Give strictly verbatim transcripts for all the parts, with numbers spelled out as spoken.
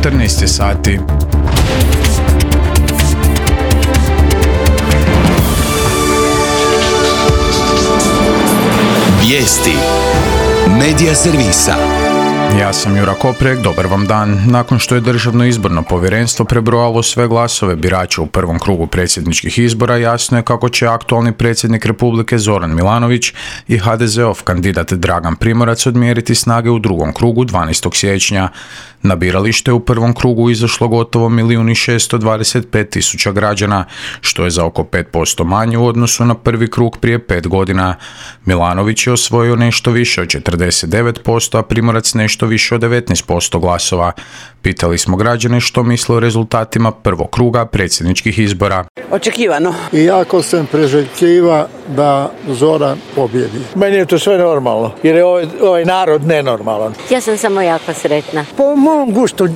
četrnaest je sati. Vijesti Medija servisa. Ja sam Jura Koprek, dobar vam dan. Nakon što je Državno izborno povjerenstvo prebrojalo sve glasove birača u prvom krugu predsjedničkih izbora, jasno je kako će aktualni predsjednik Republike Zoran Milanović i ha de zeov kandidat Dragan Primorac odmjeriti snage u drugom krugu dvanaestog siječnja. Na biralište u prvom krugu izašlo gotovo milijun i šesto dvadeset pet tisuća građana, što je za oko pet posto manje u odnosu na prvi krug prije pet godina. Milanović je osvojio nešto više od četrdeset devet posto, a Primorac nešto više od devetnaest posto glasova. Pitali smo građane što misle o rezultatima prvog kruga predsjedničkih izbora. Očekivano. I jako sam preželjkiva da Zoran pobjedi. Meni je to sve normalno, jer je ovaj, ovaj narod nenormalan. Ja sam samo jako sretna. Po mom gustu,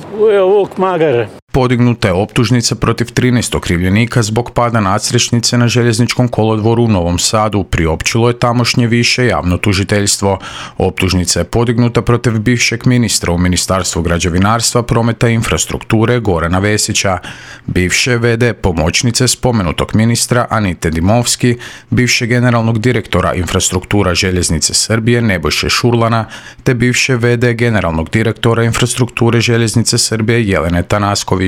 Vuk Magare. Podignuta je optužnica protiv trinaest okrivljenika zbog pada nadstrešnice na željezničkom kolodvoru u Novom Sadu. Priopćilo je tamošnje više javno tužiteljstvo. Optužnica je podignuta protiv bivšeg ministra u Ministarstvu građevinarstva, prometa i infrastrukture Gorana Vesića, bivše ve de pomoćnice spomenutog ministra Anite Dimovski, bivše generalnog direktora infrastruktura željeznice Srbije Nebojše Šurlana, te bivše ve de generalnog direktora infrastrukture željeznice Srbije Jelene Tanasković.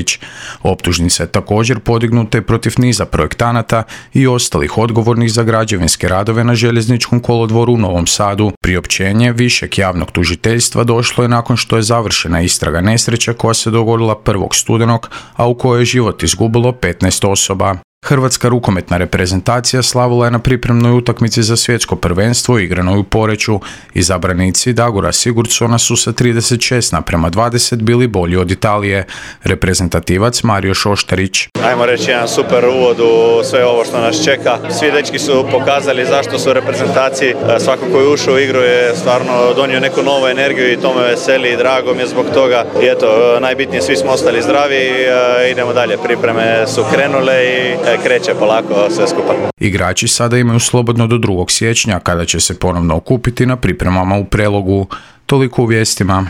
Optužnica je također podignuta i protiv niza projektanata i ostalih odgovornih za građevinske radove na željezničkom kolodvoru u Novom Sadu. Priopćenje višeg javnog tužiteljstva došlo je nakon što je završena istraga nesreće koja se dogodila prvog studenog, a u kojoj je život izgubilo petnaest osoba. Hrvatska rukometna reprezentacija slavila je na pripremnoj utakmici za svjetsko prvenstvo igranoj u Poreču. Izabranici Dagora Sigurdsona su sa trideset šest naprema dvadeset bili bolji od Italije. Reprezentativac Mario Šoštarić. Ajmo reći jedan super uvod u sve ovo što nas čeka. Svi dečki su pokazali zašto su u reprezentaciji. Svako koji je ušao u igru je stvarno donio neku novu energiju i to me veseli i drago mi je zbog toga. I eto, najbitnije, svi smo ostali zdravi i idemo dalje. Pripreme su krenule i kreće polako sve skupa. Igrači sada imaju slobodno do drugog siječnja kada će se ponovno okupiti na pripremama u Prelogu. Toliko u vijestima.